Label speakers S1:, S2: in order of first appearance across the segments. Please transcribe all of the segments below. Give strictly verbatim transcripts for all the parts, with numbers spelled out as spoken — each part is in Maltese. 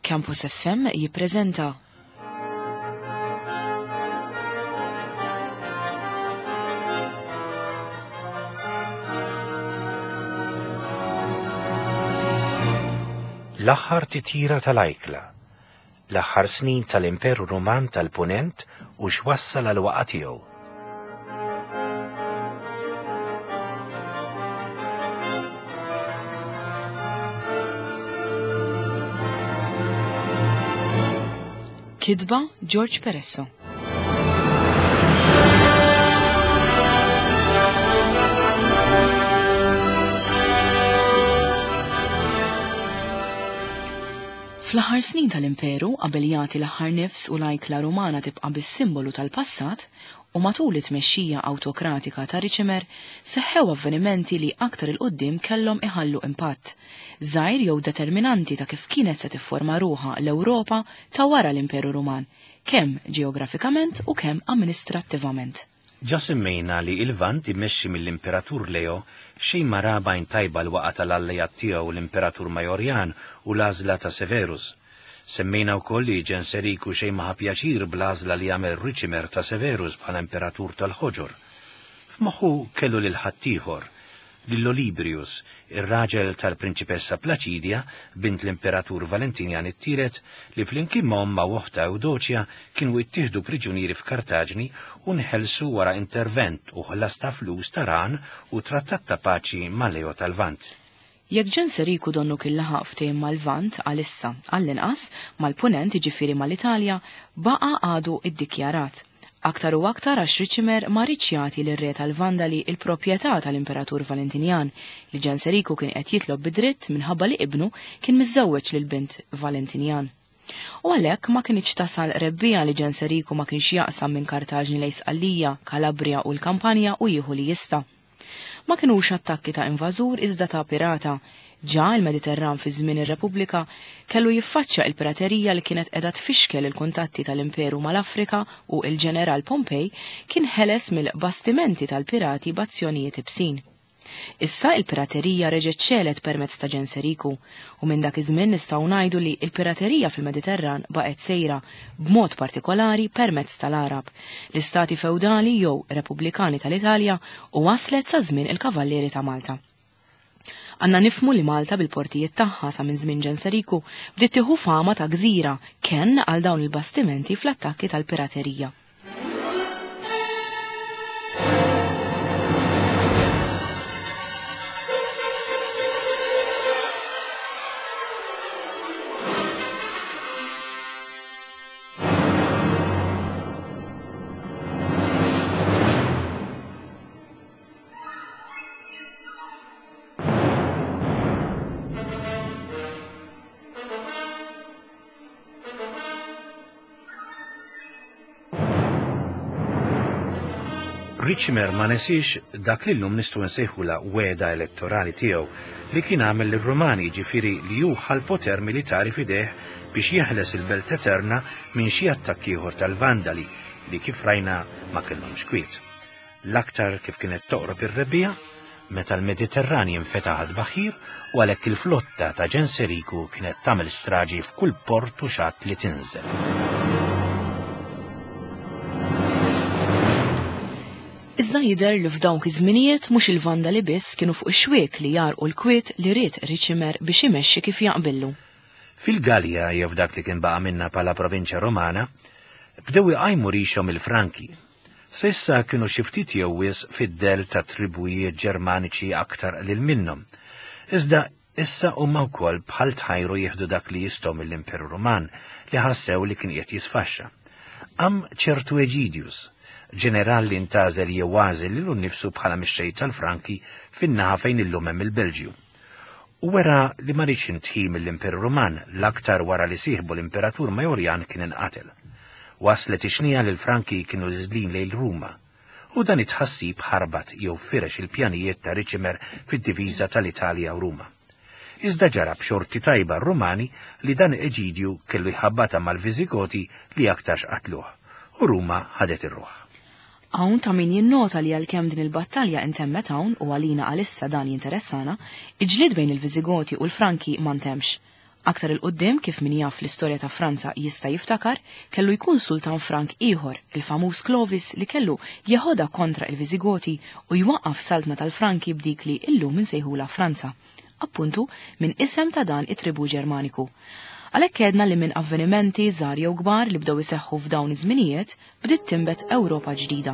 S1: Campus F M jippreżenta
S2: L-aħħar titjira tal-ajkla, l-aħħar snin tal-Imperu Ruman tal-Punent u x'wassal għal waqgħa tiegħu.
S1: Kitba George Peresso. Fl-aħħar snin tal-Imperu, qabel jagħti l-aħħar nifs u l-ajkla Rumana tibqa' bis-simbolu tal-passat, u matul it-tmexxija awtokratika ta' Riċimer, seħħew avvenimenti li aktar 'il quddiem kellhom iħallu impatt żgħir jew determinanti ta' kif kienet se tifforma ruħha l-Ewropa ta' wara l-Imperu Ruman, kemm ġeografikament u kemm amministrattivament.
S2: Ġa semmejna li il-Lvant immexxi mill-Imperatur Leo xejn ma ra b'għajn tajba l-waqgħa tal-alleat tiegħu l-Imperatur Majorjan u l-għażla ta' Severus. Semmejna wkoll li Ġenseriku xejn ma ħa pjaċir bl-għażla li għamel Riċimer ta' Severus bħala Imperatur tal-Ħoġor. F'moħħu kellu lil ħaddieħor, lil Olibrius, ir-raġel tal-Prinċipessa Plaċidja, bint l-Imperatur Valentinian it-Tielet, li flimkien ma' ommha u oħtha Ewdoċja kienu ittieħdu priġunieri f'Kartaġni u nħelsu wara intervent u ħlas ta' flus ta' ran u trattat ta' paċi ma' Leo tal-Lvant.
S1: Jekk Ġenseriku donnu kien laħaq ftehim mal-Lvant għalissa, għall-inqas, mal-Punent jiġifieri mal-Italja, baqa' għadu iddikjarat. Aktar u aktar għax Riċimer ma riedx jagħti lir-re tal-Vandali il-proprjetà tal-Imperatur Valentinjan li Ġenseriku kien qed jitlob bidritt minħabba li ibnu kien miżżewweġ lil bint Valentinjan. U għalhekk ma kinitx tasal rebbiegħa li Ġenseriku ma kienx jaqsam minn Kartaġni lejn Sqallija, Kalabria u l-Kampanja u jieħu li jista'. Ma kinux attakki ta' invażur iżda ta' pirata. Ġa il-Mediterran fi żmien ir-Repubblika kellu jiffaċċja il-piraterija li kienet qiegħda tfixkel il-kuntatti tal-Imperu mal-Afrika u il-Ġeneral Pompej kien ħeles mill-bastimenti tal-pirati b'azzjonijiet ibsin. Issa il-piraterija reġgħet xegħlet permezz ta' Ġenseriku u minn dak iż-żmien nistgħu ngħidu li l-piraterija fil-Mediterran baqgħet sejra b'mod partikolari permezz tal-Arab, l-istati feudali jew repubblikani tal-Italja u waslet sa żmien il-Kavallieri ta' Malta. Għandna nifhmu li Malta bil-portijiet tagħha sa minn żmien Ġenseriku bdiet tieħu fama ta' gżira kenn għal dawn il-bastimenti fl-attakki tal-piraterija.
S2: Riċimer ma nesix dak li llum nistgħu nsejħula wegħda elettorali tiegħu li kien għamel lir-Rumani, jiġifieri li hu ħa l-poter militari f'idejh biex jeħles il-Belt Eterna minn xi attakk ieħor tal-Vandali li kif rajna ma kellhomx kwiet. L-aktar kif kienet toqrob ir-rebbiegħa, meta l-Mediterran jinfetaħ għad-baħir u għalhekk il-flotta ta' Ġenseriku kienet tagħmel straġi f'kull port u xatt li tinżel.
S1: Iżda jidher li f'dawk iż-żminijiet mhux il-Vandali biss kienu fuq ix-xwiek li jarqu l-kwiet li ried Riċimer biex imexxi kif jaqbillu.
S2: Fil-Galja jew f'dak li kien baqa' minna bħala provinċja Romana, bdew iqajmu rixhom il-Franki. S'issa kienu xi ftit jew wisq fid-del ta' tribujiet Ġermaniċi aktar qlil minnhom. Iżda issa huma wkoll bħal tħajru jieħdu dak li jistgħu mill-Imperu Ruman li ħassew li kien qiegħed jisfaxxa. Qam ċertu Egidius, ġeneral li ntażel jew għażel lilu nnifsu bħala mixxej tal-Franki fin-naħa fejn illum hemm il-Belġju. U wera li ma riedx intħi mill-Imperu Ruman l-aktar wara li sieħbu l-Imperatur Majorjan kien inqatel. Waslet ix-xnija li l-Franki kienu niżlin lejn Ruma, u dan it-tħassib ħarbat jew firex il-pjanijiet ta' Riċimer fid-diviża tal-Italja u Ruma. Iżda ġara b'xorti tajba r-Rumani li dan Eġidju kellu jħabbata mal-Viżigoti li aktarx qatluh, u Ruma ħadet ir-ruħ.
S1: Hawn ta' min jinnota li għalkemm din il-battalja intemmet hawn u għalina għalissa dan jinteressana, il-ġlied bejn il-Viżigoti u l-Franki ma ntemx. Aktar 'il quddiem, kif min jaf l-istorja ta' Franza jista' jiftakar, kellu jkun sultan Frank ieħor, il-famuż Clovis, li kellu jeħodha kontra il-Viżigoti u jwaqqaf saltna tal-Franki b'dik li illum insejħula Franza, appuntu minn isem ta' dan it-tribu Ġermaniku. Għalhekk għedna li minn avvenimenti żgħar jew kbar li bdew iseħħu f'dawn iż-żminijiet bdiet tinbet Ewropa ġdida.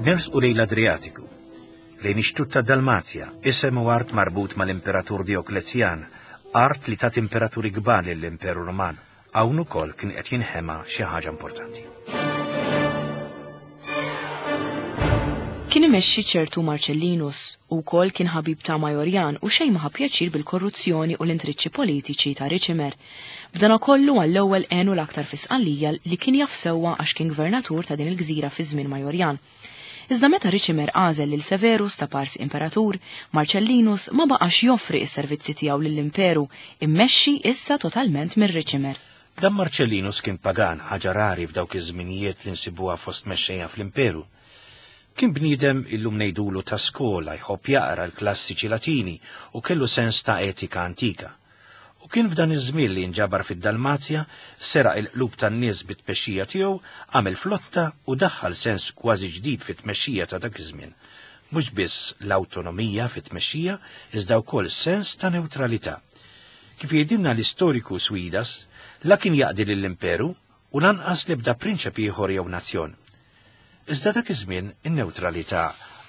S2: Nersqu lejn l-Adriatiku, lejn ix-xtut ta' Dalmazja, isem u art marbut mal-Imperatur Dioklezjan, art li tat imperaturi kbar lill-Imperu Roman. Hawn ukoll kien qed jinħema xi ħaġa importanti.
S1: Kien imexxi ċertu Marcellinus u wkoll kien ħabib ta' Majorjan u xejn ma ħa pjaċir bil-korruzzjoni u l-intriċċi politiċi ta' Riċimer. B'dan kollu għall-ewwel għenu l-aktar fi Sqallija li kien jaf sewwa għax kien gvernatur ta' din il-gżira fi żmien Majorjan. Iżda meta Riċimer għażel lil Severus ta' Pars Imperatur, Marcellinus ma baqax joffri s-servizzi tiegħu lill-Imperu, immexxi issa totalment minn Riċimer.
S2: Dan Marcellinus kien pagan, ħaġa rari f'dawk iż-żminijiet li nsibuha fost mexxejja fl-Imperu. Kien bniedem illum ngħidulu ta' skola, jħobb jaqra l-klassiċi Latini u kellu sens ta' etika antika. U kien f'dan iż-żmien li nġabar fid-Dalmazja, seraq il-qlub tan-nies bit-tmexxija tiegħu, għamel flotta u daħħal sens kważi ġdid fit-tmexxija ta' dak iż-żmien. Mhux biss l-awtonomija fit-tmexxija, iżda wkoll sens ta' newtralità. Kif jgħidilna l-istoriku Swidas, la kien jaqdi lill-Imperu u lanqas l-ebda prinċep ieħor jew nazzjon. Iżda dak iż-żmien in-newtralità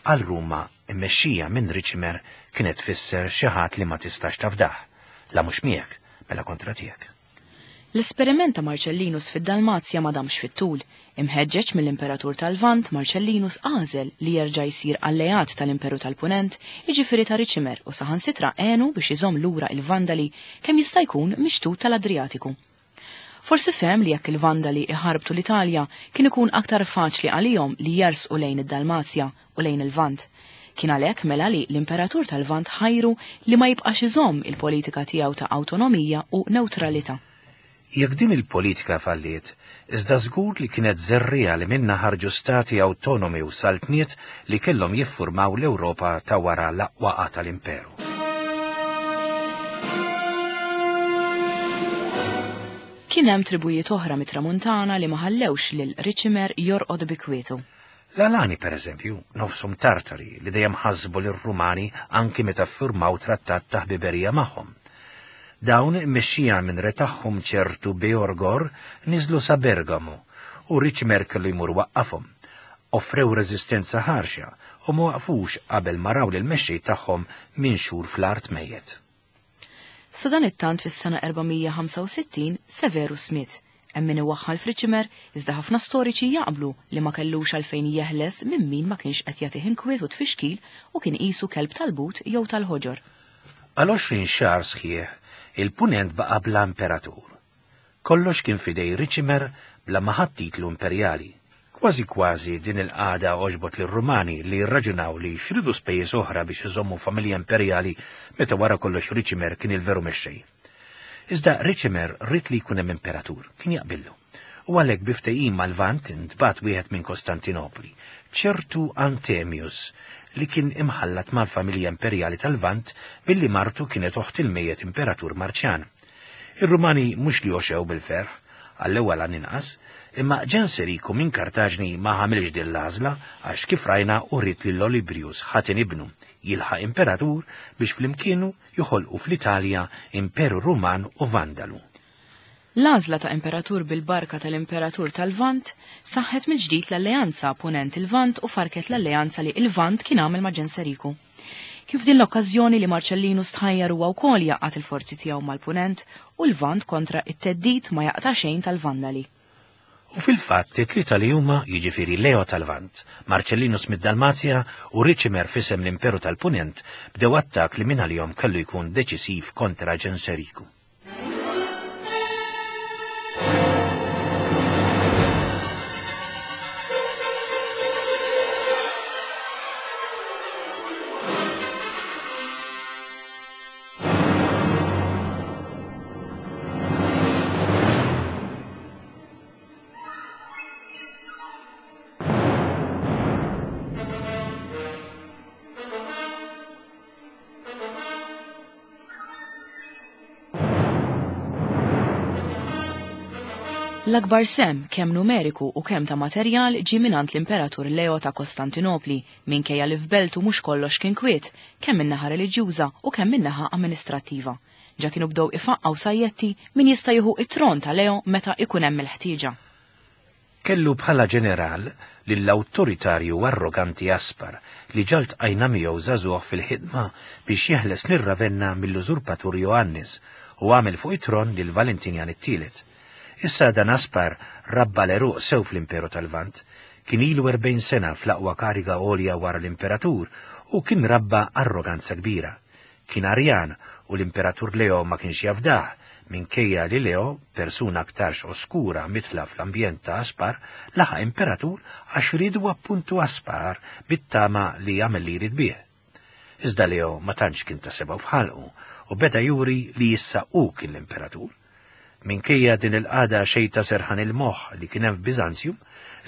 S2: għal Ruma immexxija minn Riċimer kienet tfisser xi ħadd li ma tistax tafdah. La mhux miegħek, mela kontra tiegħek.
S1: L-esperiment ta' Marcellinus fid-Dalmazja ma damx fit-tul. Imħeġġeġ mill-Imperatur tal-Lvant, Marcellinus għażel li jerġa' jsir alleat tal-Imperu tal-Punent, jiġifieri ta' Riċimer, u saħansitra għenu biex iżomm lura il-Vandali kemm jista' jkun mixtut tal-Adriatiku. Forsi fehem li jekk il-Vandali iħarbtu l-Italja kien ikun aktar faċli għalihom li jersqu lejn id-Dalmazja u lejn il-Lvant. Kien għalhekk mela li l-Imperatur tal-Lvant ħajru li ma jibqax iżomm il-politika tiegħu ta' awtonomija u newtralità.
S2: Jekk din il-politika falliet, iżda żgur li kienet żerriegħa li minnha ħarġu stati awtonomi u saltniet li kellhom jiffurmaw l-Ewropa ta' wara l-aqwa tal-Imperu.
S1: Kien hemm tribujiet oħra mit-Tramuntana li ma ħallewx lil Riċimer jorqod bi kwietu.
S2: L-Alani, per eżempju, nofshom Tartari li dejjem ħasbu lir-Rumani anki meta ffurmaw trattat ta' ħbiberija magħhom. Dawn immexxija minn re tagħhom ċertu Beorgor niżlu sa Bergamo u Riċimer kellu jmur waqqafhom. Offrew reżistenza ħarxa u ma waqfux qabel ma raw lil mexxej tagħhom minn xhur fl-art mejjet.
S1: Sa dan it-tant fis-sena erba' mija ħamsa u sittin Severus miet. Hemm min iwaħħal f'Riċimer, iżda ħafna storiċi jaqblu li ma kellux għalfejn jeħles minn min ma kienx qed jagħtih inkwiet u tfixkil u kien qisu kelb tal-but jew tal-ħoġor.
S2: Għal għoxrin xahar sħiħ, il-Punent baqa' bla imperatur. Kollox kien fidej Riċimer bla ma ħadd titlu imperjali. Kważi kważi din il-qagħda għoġbot lir-Rumani li rraġunaw li xridu spejjeż oħra biex iżommu familja imperjali meta wara kollox Riċimer kien il-veru mexxej. Iżda Riċimer ried li jkun hemm imperatur, kien jaqbillu. U għalhekk bi ftehim mal-Lvant intbagħat wieħed minn Kostantinopli, ċertu Antemius, li kien imħallat mal-familja imperjali tal-Lvant billi martu kienet oħt il-mejjet imperatur Marċjan. Ir-Rumani mhux li għoxew bil-ferħ, għall-ewwel għan inqas, imma Ġenseriku minn Kartaġni ma ħamilx din l-għażla għax kif rajna u ried lil Olibrius ħaten ibnu jilħaq imperatur biex flimkienu joħolqu fl-Italja Imperu Ruman u Vandalu.
S1: L-għażla ta' imperatur bil-barka tal-Imperatur tal-Lvant saħħet mill-ġdid l-alleanza Punent il-Lvant u farket l-alleanza li il-Lvant kien għamel ma' Ġenseriku. Kif din l-okkażjoni li Marcellinus tħajjar huwa wkoll jaqgħad il-forzi tiegħu mal-Punent u l-Lvant kontra it-theddid ma jaqta' xejn tal-Vandali.
S2: U fil-fatt it-tlieta li huma, jiġifieri Leo tal-Lvant, Marcellinus mid-Dalmazja u Riċimer f'isem l-Imperu tal-Punent, bdew attak li minn għalihom kellu jkun deċisiv kontra Ġenseriku.
S1: L-akbar sehem, kemm numeriku u kemm ta' materjal, ġie mingħand l-Imperatur Leo ta' Kostantinopli, minkejja li f'beltu mhux kollox kien kwiet, kemm min-naħa reliġjuża u kemm min-naħa amministrattiva. Ġa kienu bdew ifaqqgħu sajjetti min jista' jieħu t-tron ta' Leo meta ikun hemm il-ħtieġa.
S2: Kellu bħala ġeneral lill-awtoritarju arroganti Aspar li ġa ltqajna miegħu żagħżugħ fil-ħidma biex jeħles lil Ravenna mill-użurpatur Joannis u għamel fuq it-tron lil Valentinjan it-tielet. Issa dan Aspar rabba l-għeruq sew fl-Imperu tal-Lvant, kien ilu erbgħin sena fl-aqwa kariga għolja wara l-Imperatur u kien rabba arroganza kbira. Kien Arjan u l-Imperatur Leo ma kienx jafdah, minkejja li Leo, persuna aktarx oskura mitla fl-ambjent ta' Aspar, laħaq imperatur għax ridu appuntu Aspar bit-tama li jagħmel li jrid bih. Iżda Leo ma tantx kien ta' sebgħu f'ħalqu u beda juri li issa hu kien l-imperatur. Minkejja din il-qagħda xejn ta' serħan il-moħħ li kien hemm f'Biżanzjum,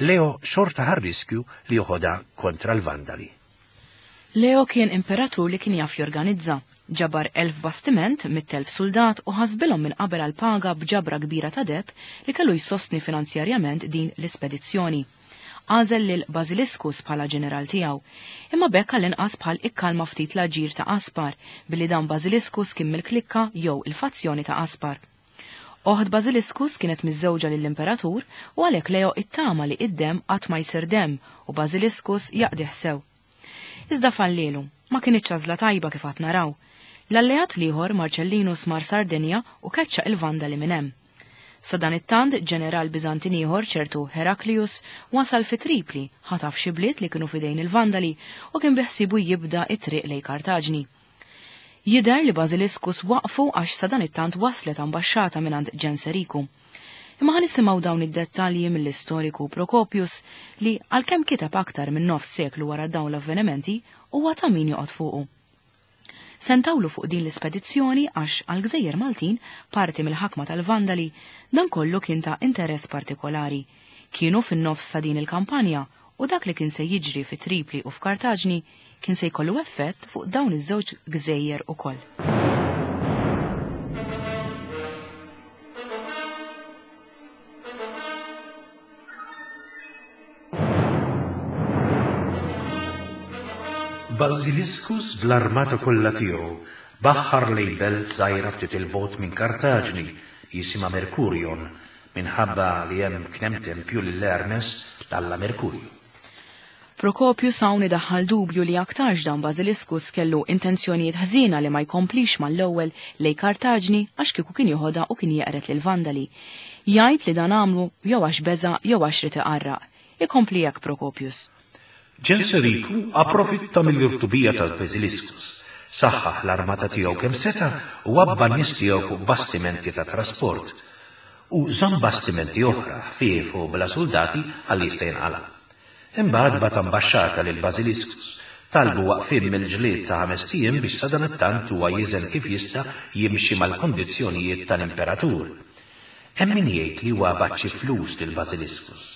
S2: Leo xorta ħa r-riskju li joħodha kontra l-Vandali.
S1: Leo kien imperatur li kien jaf jorganizza. Ġabar elf bastiment, mitt elf soldat u ħasbilhom minn qabel għal paga b'ġabra kbira ta' deb li kellu jsostni finanzjarjament din l-ispedizzjoni. Għażel lil Basiliscus bħala ġeneral tiegħu, imma b'hekk għall-inqas bħal ikkalma ftit l-aġir ta' Aspar, billi dan Basiliscus kien mill-klikka jew il-fazzjoni ta' Aspar. Oħt Basiliscus kienet miżżewġa lill-imperatur u għalhekk Leo ittama li id-dem qatt ma jsir dem u Basiliscus jaqdih sew. Iżda fallielu, ma kienitx għażla tajba kif qatt naraw. L-alleat l-ieħor Marcellinus mar Sardinja u keċċa il-Vandali minn hemm. Sa dan it-tant ġeneral Biżantin ieħor ċertu Heraklius wasal fi Tripli, ħataf xi bliet li kienu fidejn il-Vandali u kien biħsibu jibda it-triq lejn Kartaġni. Jidher li Basiliscus waqfu għax sa dan it-tant waslet ambaxxata mingħand Ġenseriku. Imma ħa nisimgħu dawn id-dettalji mill-istoriku Procopius li għalkemm kiteb aktar minn nofs seklu wara dawn l-avvenimenti huwa ta' min joqgħod fuqu. Sentawlu fuq din l-ispedizzjoni għax għal-Gżejjer Maltin, parti mill-ħakma tal-Vandali, dan kollu kien ta' interess partikolari. Kienu fin-nofs ta' din il-kampanja u dak li kien se jiġri fi Tripli u f'Kartaġni kien se jkollu effett fuq dawn iż-żewġ gżejjer ukoll.
S2: Basiliscus bl-armata kollha tiegħu baħħar lejn belt żgħira ftit il-bogħod minn Kartaġni jisimha Mercurion minħabba li hemm kien hemm tempju lil Hermes l-alla Merkurju.
S1: Procopius hawn idaħħal dubju li aktarx dan Basiliscus kellu intenzjonijiet ħżiena li ma jkomplix mal-ewwel lejn Kartaġni għax kieku kien joħodha u kien jeqret lil Vandali. Jgħid li dan għamlu jew għax beża' jew għax rid iqarraq. Ikompli hekk Procopius.
S2: Ġenseriku approfitta mill-irtubija ta' Basiliscus, saħħaħ l-armata tiegħu kemm seta' u għabba n-nies tiegħu fuq bastimenti ta' trasport u żamm bastimenti oħra ħfief u bla soldati għal jista' jinqala'. Imbagħad bagħat ambaxxata lil Basiliscus, talbu waqfien mill-ġlied ta' ħames ijiem biex sadanittant huwa jiżen kif jista' jimxi mal-kondizzjonijiet tal-imperatur. Hemm min jgħid li huwa bagħat xi flus lil Basiliscus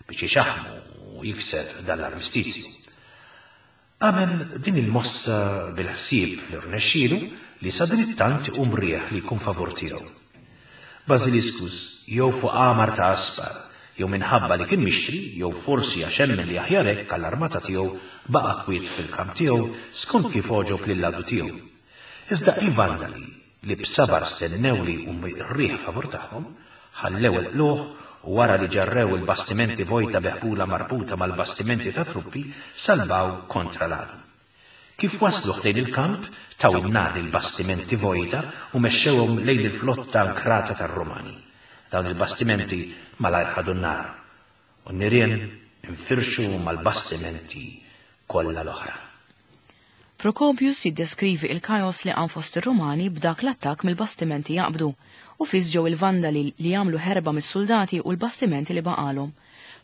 S2: biex ixaħmu u jikseb dan l-armistizju. Għamel din il-mossa bil-ħsieb li rnexxielu li sadanittant iqum rieħ li jkun favur tiegħu. Basiliscus jew fuq għamar ta' Aspar, jew minħabba li kien mixtri, jew forsi għax emmen li aħjar hekk għall-armata tiegħu baqa' kwiet fil-kamp tiegħu skont kif għoġob lil-ladu tiegħu. Iżda il-Vandali li b'sabar stennew li jqum ir-riħ favur tagħhom, ħallew il-qluħ u wara li ġarrew il-bastimenti vojta beħbula marbuta mal-bastimenti ta' truppi, salvaw kontra l-għadu. Kif waslu ħdejn il-kamp, taw in-nar il-bastimenti vojta u mexxewhom lejn il-flotta ankrata tar-Rumani. Dawn il-bastimenti malajr ħadu n-nar u n-nirien infirxu mal-bastimenti kollha l-oħra.
S1: Procopius jiddeskrivi il-kaos li qam fost ir-Rumani b'dak l-attakk mill-bastimenti jaqbdu u fis ġew il-Vandali li jagħmlu ħerba mis-soldati u l-bastimenti li baqalhom.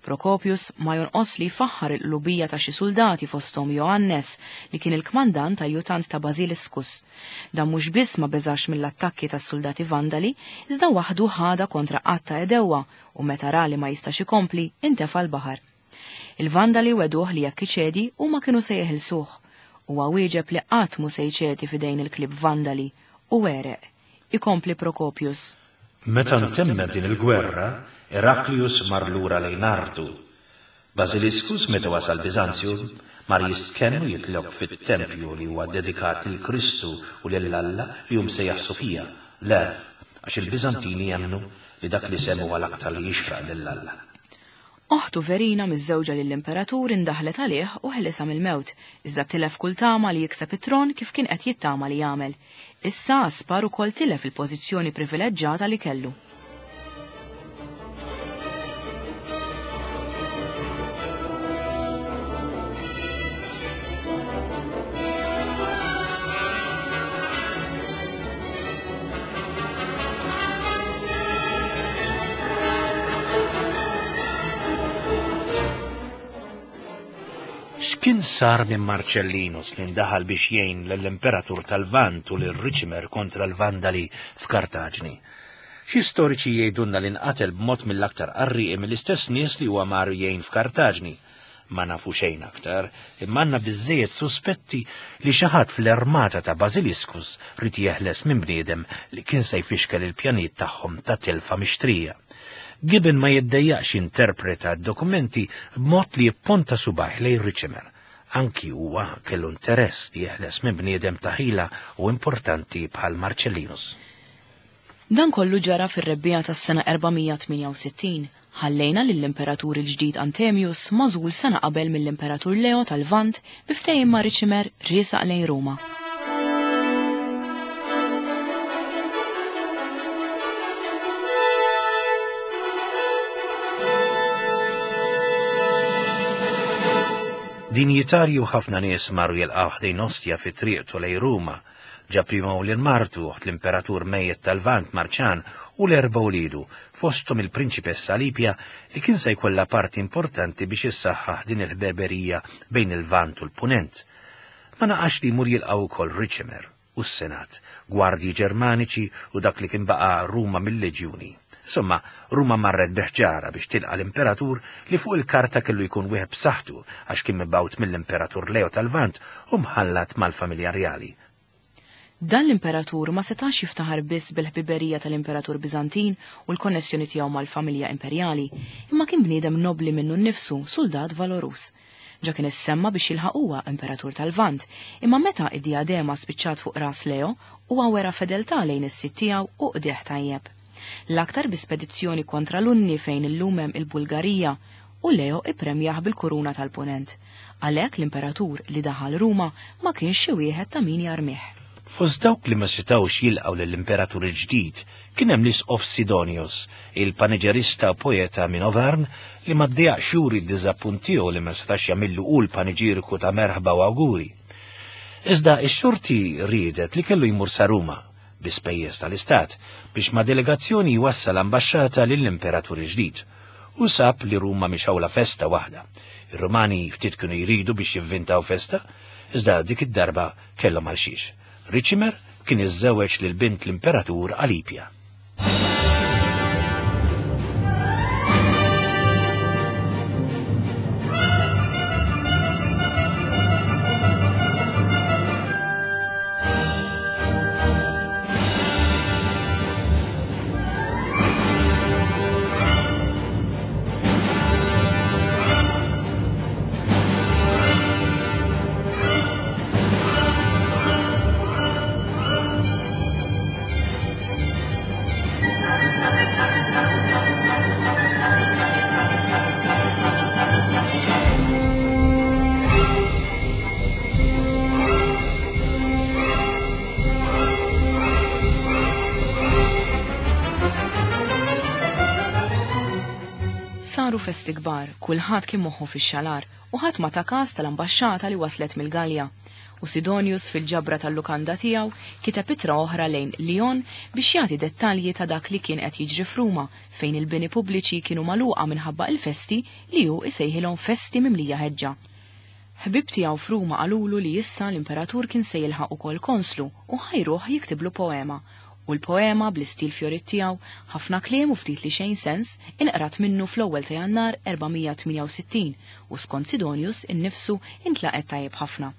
S1: Procopius ma jonqos li jfaħħar il-qlubija ta' xi soldati fosthom Joannes li kien il-kmandant ajjutant ta' Basiliscus. Dan mhux biss ma beżax mill-attakki tas-soldati Vandali, iżda waħdu ħada kontra qatt ta' edewwa u meta ra li ma jistax ikompli intefa' l-baħar. Il-Vandali weduh li jekk iċedi huma kienu se jeħilsuh. Huwa wieġeb li qatt mhu se jċedi f'idejn il-klieb Vandali u wereq. Ikompli Procopius.
S2: Meta ntemmet din il-gwerra, Heraklius mar lura lejn artu. Basiliscus meta wasal Biżanzju mar jistkenn u jitlob fit-tempju li huwa dedikat lil Kristu u lil Alla li hu msejjaħ Sofija, l-għerf, għax il-Biżantini jemmnu li dak l-isem huwa l-aktar li jixraq lil Alla.
S1: Oħtu Verina miżżewġa lill-imperatur indaħlet għalih u ħelisha mill-mewt, iżda tilef kull tama li jikseb it-tron kif kien qed jittama li jagħmel. Issa Aspar ukoll tilef il-pożizzjoni privileġġata li kellu.
S2: X'kien sar minn Marcellinus li ndaħal biex jgħin lill-Imperatur tal-Lvant u lil Riċimer kontra l-Vandali f'Kartaġni? Xi storiċi jgħidulna li nqatel b'mod mill-aktar qarrieqi mill-istess nies li huwa mar jgħin f'Kartaġni. Ma nafu xejn aktar, imma għandna biżżejjed suspetti li xi ħadd fl-armata ta' Basiliscus ried jeħles minn bniedem li kien se jfixkel il-pjanijiet tagħhom ta' telfa mixtrija. Gibbon ma jiddejjaqx jinterpreta d-dokumenti b'mod li jipponta subgħajh lejn Riċimer. Anki huwa kellu interess li jeħles minn bniedem ta' ħila u importanti bħal Marcellinus.
S1: Dan kollu ġara fir-rebbiegħa tas-sena erba' mija tmienja u sittin. Ħallejna lill-Imperatur il-ġdid Antemius magħżul sena qabel mill-Imperatur Leo tal-Lvant bi ftehim ma' Riċimer riesaq lejn Ruma.
S2: Dinjitarju ħafna nies marru jilqgħu ħdejn Ostia fi triqtu lejn Ruma. Ġab miegħu lil martu, oħt l-Imperatur mejjet tal-Lvant Marċan, u l-erba' uliedu, fosthom il-Prinċipessa Alipia li kien se jkollha parti importanti biex issaħħaħ din il-ħberberija bejn il-Lvant u l-Punent. Ma naqax li jmur jilqgħu wkoll Riċimer u s-Senat, gwardji Ġermaniċi u dak li kien baqa' Ruma mill-Leġjuni. Insomma, Ruma marret biħġara biex tilqa' l-Imperatur li fuq il-karta kellu jkun wieħed b'saħħtu għax kien mibgħut mill-Imperatur Leo tal-Lvant u mħallat mal-familja rjali.
S1: Dan l-Imperatur ma setax jiftaħar biss bil-ħbiberija tal-Imperatur Biżantin u l-konnessjoni tiegħu mal-familja imperjali, imma kien bniedem nobli minnu nnifsu, soldat valorus. Ġa kien issemma biex jilħaq huwa Imperatur tal-Lvant, imma meta id-diadema spiċċat fuq ras Leo, huwa wera fedeltà lejn is-sid tiegħu u qdieħ tajjeb. L-aktar bi spedizzjoni kontra l-Unni fejn illum hemm il-Bulgarija, u Leo ippremjah bil-kuruna tal-Punent. Għalhekk l-Imperatur li daħal Ruma ma kienx xi wieħed ta' min jarmih.
S2: Fost dawk li ma setgħux jilqgħu lill-Imperatur il-ġdid kien hemm l-Isqof Sidonius, il-paniġerista u poeta minn Auvergne li ma ddejjaqx juri d-diżappunt tiegħu li ma setax jagħmillu hu l-paniġiriku ta' merħba u awguri. Iżda x-xorti riedet li kellu jmur sa Ruma bi spejjeż tal-Istat biex ma' delegazzjoni jwassal ambaxxata lill-Imperatur il-ġdid. U sab li Ruma mhix awla festa waħda. Ir-Rumani ftit kienu jridu biex jivvintaw festa, iżda dik id-darba kellhom għal xiex. Riċimer kien iżżewweġ lil bint l-Imperatur Alipia.
S1: Saru festi kbar, kulħadd kien moħħu fix-xalar u ħadd ma ta każ tal-ambaxxata li waslet mill-Galja. U Sidonius fil-ġabra tal-lukanda tiegħu kiteb ittra oħra lejn Lyon biex jagħti dettalji ta' dak li kien qed jiġri f'Ruma fejn il-bini pubbliċi kienu magħluqa minħabba il-festi li hu isejħilhom festi mimlija ħeġġa. Ħbib tiegħu f'Ruma qalulu li issa l-imperatur kien se jilħaq ukoll konslu u ħajruh jiktiblu poema. U l-poema bl-istil fjorit tiegħu, ħafna kliem u ftit li xejn sens, inqrat minnu fl-ewwel ta' Jannar erba' mija tmienja u sittin u skont Sidonius innifsu intlaqet tajjeb ħafna.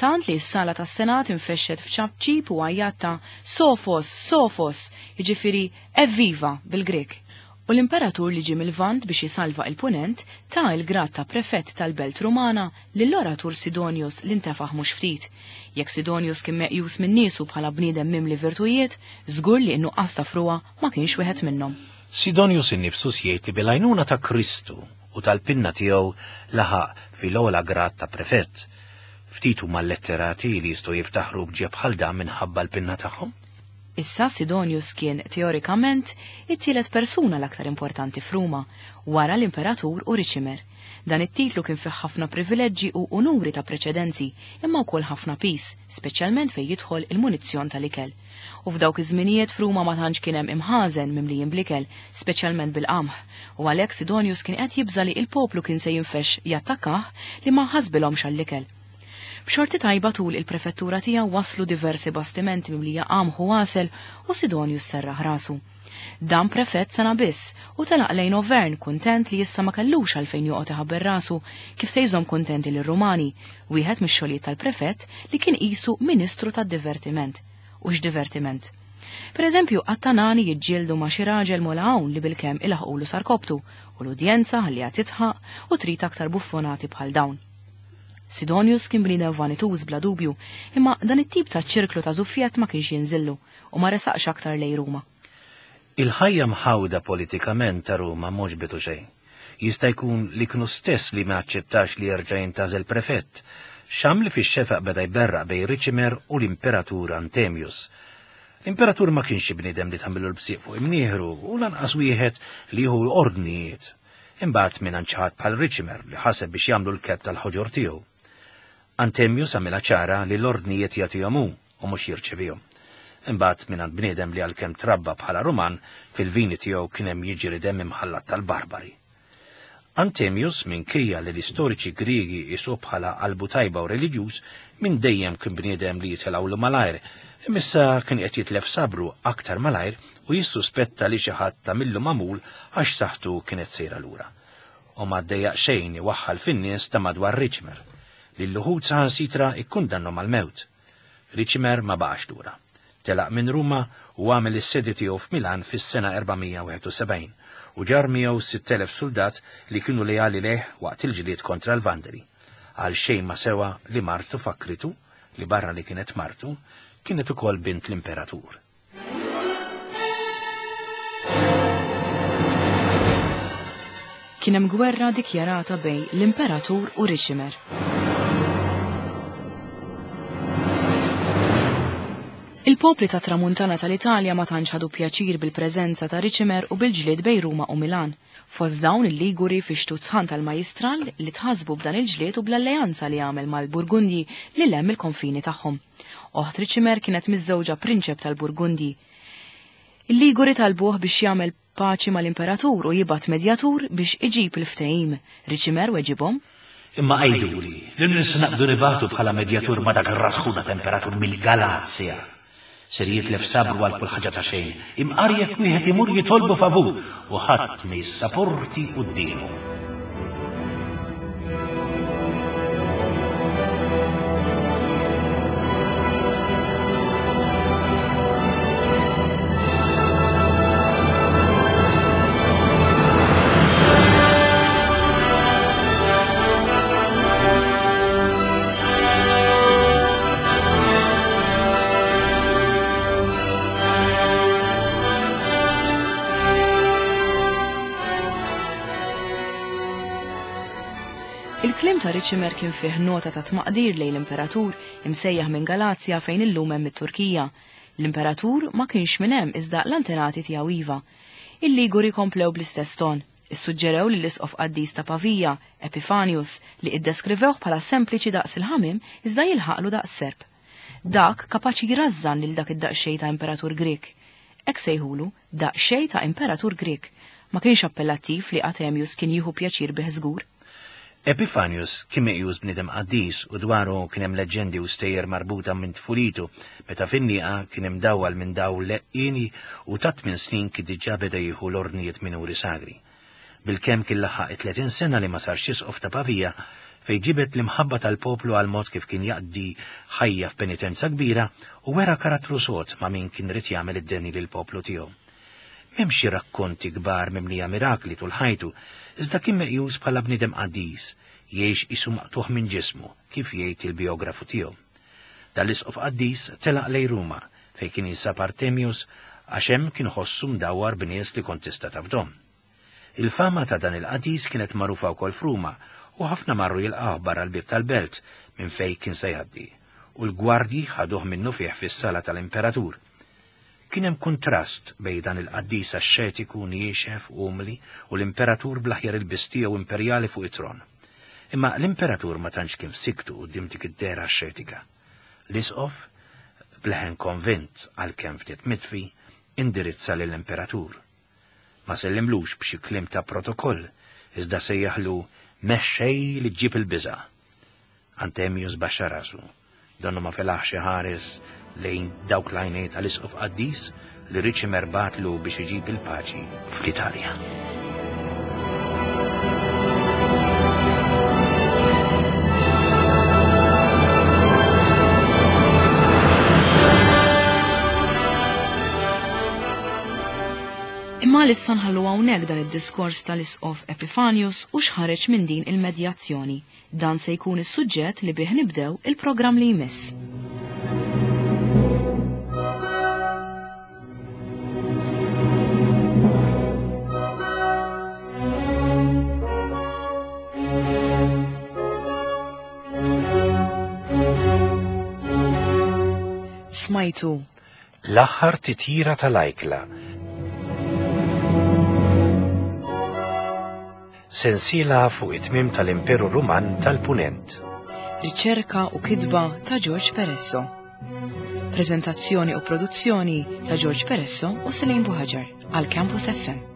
S1: Tant li s-sala tas-Senat infexxet f'ċapċip u għajjat ta' Sofos, Sofos, jiġifieri evviva bil-Grek. U l-imperatur li ġie mill-Lvant biex jisalva il-Punent ta il-grad ta' prefett tal-Belt Rumana lill-oratur Sidonius li ntefaħ mhux ftit. Jekk Sidonius kien meqjus minn niesu bħala bniedem mimli virtujiet, żgur li n-nuqqas ta' frua ma kienx wieħed minnhom.
S2: Sidonius innifsu jgħid li bil-għajnuna ta' Kristu u tal-pinna tiegħu laħaq fil-ogħla grad ta' prefett. Ftit huma l-letterati li jistgħu jiftaħru b'ġie bħal dan minħabba l-pinna tagħhom.
S1: Issa Sidonius kien teorikament it-tielet persuna l-aktar importanti f'Ruma, wara l-imperatur u Riċimer. Dan it-titlu kien fih ħafna privileġġi u unuri ta' preċedenzi, imma wkoll ħafna pis, speċjalment fejn jidħol il-munizzjon tal-ikel. U f'dawk iż-żminijiet f'Ruma ma tantx kien hemm imħażen mimlijin bl-ikel, speċjalment bil-qamħ, u għalhekk Sidonius kien qed jibża li il-poplu kien se jinfex jattakkah li ma ħasbilhomx għall-ikel. B'xorti tajba tul il-prefettura tiegħu waslu diversi bastimenti mimlija qamħ u għasel u Sidonius serraħ rasu. Dan prefett sena biss u telaq lejn Auvergne kuntent li issa ma kellux għalfejn joqgħod iħabber rasu kif se jżomm kuntenti lir-Rumani, wieħed mix-xogħlijiet tal-prefett li kien qisu ministru tad-divertiment. U x'divertiment! Per eżempju, għat-Tanani jiġġieldu ma' xi raġel mola hawn li bilkemm ilaħqulu sarkoptu u l-udjenza ħalliha titħaq u trid aktar buffonati bħal dawn. Sidonius kien bniedem vanituż bla dubju, imma dan it-tip ta' ċirklu ta' żuffjett ma kienx jinżillu u ma resaqx aktar lejn Ruma.
S2: Il-ħajja mħawda politikament ta' Ruma mhux bitu xejn. Jista' jkun li kienu stess li ma aċċettax li jerġa' jintgħażel prefett, xam li fix-xefaq beda jberraq bejn Riċimer u l-Imperatur Antemius. L-Imperatur ma kienx bniedem li tagħmillu l-bsieq fuq imnieħru u lanqas wieħed li jieħu ordnijiet. Imbagħad minn ħadd bħal Riċimer li ħaseb biex jagħmlu l-kelb tal-ħoġor tiegħu. Antemius għamilha ċara li l-ordnijiet jagħtihom hu u mhux jirċevihom. Imbagħad mingħand bniedem li għalkemm trabba bħala Ruman fil-vini tiegħu kien hemm jiġri demm imħallat tal-barbari. Antemius, minkejja li l-istoriċi Griegi qisu bħala qalbu tajba u reliġjuż, minn dejjem kien bniedem li jitilgħulu malajr, imissa kien qed jitlef sabru aktar malajr u jissuspetta li xi ħadd tagħmillu magħmul għax saħħtu kienet sejra lura. U ma ddejjaq xejn iwaħħal fin-nies ta' madwar Riċimer, li l-uħud saħansitra ikkundannhom għall-mewt. Riċimer ma baqax lura. Telaq minn Ruma u għamel is-sedi tiegħu f'Milan fis-sena erba' mija wieħed u sebgħin u ġar miegħu sitt elef soldat li kienu leali lejh waqt il-ġlied kontra l-Vandali. Għal xejn ma sewa li martu fakritu, li barra li kienet martu, kienet ukoll bint l-imperatur.
S1: Kien hemm gwerra dikjarata bejn l-imperatur u Riċimer. Il-popli ta' tramuntana tal-Italja ma tantx ħadu pjaċir bil-preżenza ta' Riċimer u bil-ġlied bejn Ruma u Milan. Fost dawn il-Liguri fi xtut sħan tal-Majistral li tħasbu b'dan il-ġlied u bl-alleanza li għamel mal-Burgundji li lem il-konfini tagħhom. Oħt Riċimer kienet miżżewġa prinċep tal-Burgundji. Il-Liguri talbuh biex jagħmel paċi mal-imperatur u jibgħat medjatur biex iġib il-ftehim. Riċimer weġibhom:
S2: Imma għiduli, li nista' naqdu nibatu bħala medjatur ma dak ir-rasħuna temperatur mill-Galazja. Ser jitlef sabru għal kull ħaġa ta' xejn, imqar jekk wieħed imur jitolbu favur u ħadd ma jissaporti quddiemu.
S1: Il-kliem ta' Riċimer kien fih nota ta' tmaqdir lejn l-imperatur imsejjaħ minn Galazja fejn illum hemm it-Turkija. L-imperatur ma kienx minn hemm iżda l-antenati tiegħu iva. Il-Liguri komplew bl-istess ton. Issuġġerew li l-isqof qaddis ta' Pavija, Epifanius, li iddeskrivewh bħala sempliċi daqs il-ħamim iżda jilħaqlu daqs serp. Dak kapaċi jrażżan lil dak id-daqsxejn ta' imperatur Grek. Hekk sejħulu daqsxejn ta' imperatur Grek. Ma kienx appellattiv li Atemius kien jieħu pjaċir bih żgur.
S2: Epifanius kien meqjus bniedem qaddis u dwaru kien hemm leġġendi u stejjer marbuta minn tfulitu, meta fin-nieqa kien hemm dawwal minn dawl leqqini u ta' tmien snin kien diġà beda jieħu l-ordnijiet minuri sagri. Bilkemm kien laħaq tletin sena li ma sarx isqof ta' Pavija, fejn ġibet l-imħabba tal-poplu għal mod kif kien jaqdi ħajja f'penitenza kbira u wera karattru sod ma' min kien rid jagħmel id-deni lill-poplu tiegħu. M'hemm xi rakkonti kbar mimlija mirakli tul ħajtu, iżda kien meqjus bħala bniedem qaddis, jgħix qisu maqtugħ minn ġismu, kif jgħid il-biografu tiegħu. Dan l-isqof qaddis telaq lejn Ruma, fejn kien jinsab Artemius, għax hemm kien ħossu mdawwar b'nies li kont tista' tafdhom. Il-fama ta' dan il-qaddis kienet magħrufa wkoll f'Ruma, u ħafna marru jilqgħuh barra l-bieb tal-belt minn fejn kien se jgħaddi, u l-gwardji ħaduh minnu fih fis-sala tal-imperatur. Kien hemm kuntrast bejn dan il-qaddis axxetiku niexef umli u l-imperatur bl-aħjar ilbies tiegħu imperjali fuq it-tron. Imma l-imperatur ma tantx kien f'siktu quddiem dik id-dehra axxetika. L-isqof, bleħen konvint għalkemm ftit mitfi, indirizza lill-imperatur. Ma sellimlux b'xi kliem ta' protokoll, iżda sejjaħlu mexxej li ġġib il-biża'. Antemius baxxa rasu, donnu ma felaħx iħares lejn dawk l-għajnejn tal-isqof qaddis li Riċimer bagħatlu biex iġib il-paċi fl-Italja.
S1: Imma issa nħallu hawnhekk dan id-diskors tal-isqof Epifanius u x'ħareġ minn din il-medjazzjoni. Dan se jkun is-suġġett li bih nibdew il-programm li jmiss. Smajtu
S2: L-aħħar titjira tal-ajkla. Sensiela fuq it-tmiem tal-Imperu Ruman tal-Punent.
S1: Riċerka u kitba ta' George Peresso. Prezentazzjoni u produzzjoni ta' George Peresso u Selene Buhaġar għal Campus F M.